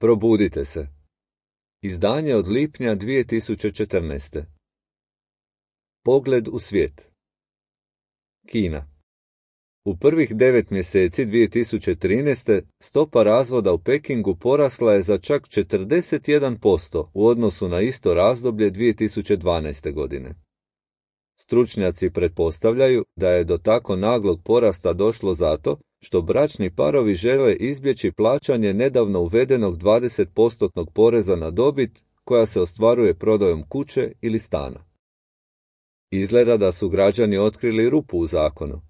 Probudite se. Izdanje od lipnja 2014. Pogled u svijet. Kina. U prvih 9 mjeseci 2013. stopa razvoda u Pekingu porasla je za čak 41% u odnosu na isto razdoblje 2012. godine. Stručnjaci pretpostavljaju da je do tako naglog porasta došlo zato što bračni parovi žele izbjeći plaćanje nedavno uvedenog 20% poreza na dobit koja se ostvaruje prodajom kuće ili stana. Izgleda da su građani otkrili rupu u zakonu.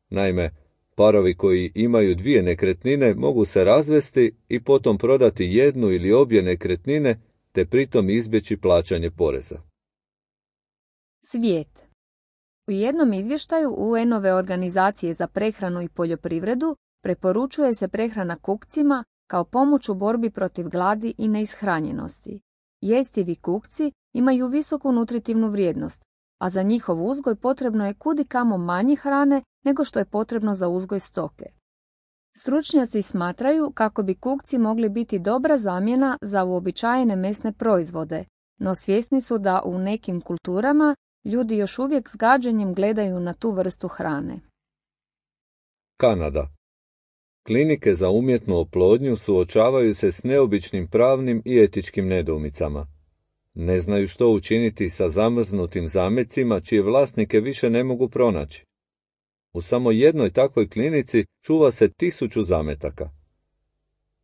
Naime, parovi koji imaju 2 nekretnine mogu se razvesti i potom prodati jednu ili obje nekretnine te pritom izbjeći plaćanje poreza. Svijet. U jednom izvještaju UN-ove organizacije za prehranu i poljoprivredu preporučuje se prehrana kukcima kao pomoć u borbi protiv gladi i neishranjenosti. Jestivi kukci imaju visoku nutritivnu vrijednost, a za njihov uzgoj potrebno je kudikamo manje hrane nego što je potrebno za uzgoj stoke. Stručnjaci smatraju kako bi kukci mogli biti dobra zamjena za uobičajene mesne proizvode, no svjesni su da u nekim kulturama ljudi još uvijek s gađenjem gledaju na tu vrstu hrane. Kanada. Klinike za umjetnu oplodnju suočavaju se s neobičnim pravnim i etičkim nedoumicama. Ne znaju što učiniti sa zamrznutim zamecima čije vlasnike više ne mogu pronaći. U samo jednoj takvoj klinici čuva se 1000 zametaka.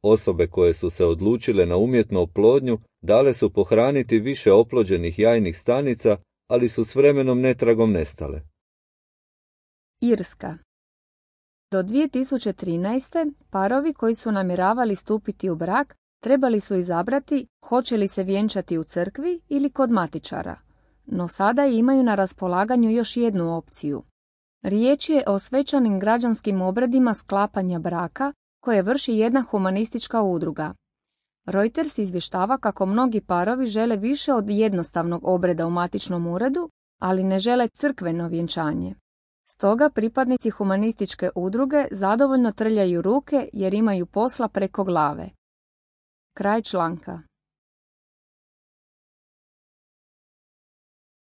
Osobe koje su se odlučile na umjetnu oplodnju dale su pohraniti više oplođenih jajnih stanica, ali su s vremenom netragom nestale. Irska. Do 2013. parovi koji su namjeravali stupiti u brak trebali su izabrati hoće li se vjenčati u crkvi ili kod matičara, no sada imaju na raspolaganju još jednu opciju. Riječ je o svečanim građanskim obredima sklapanja braka koje vrši jedna humanistička udruga. Reuters izvještava kako mnogi parovi žele više od jednostavnog obreda u matičnom uredu, ali ne žele crkveno vjenčanje. Stoga pripadnici humanističke udruge zadovoljno trljaju ruke jer imaju posla preko glave. Kraj članka.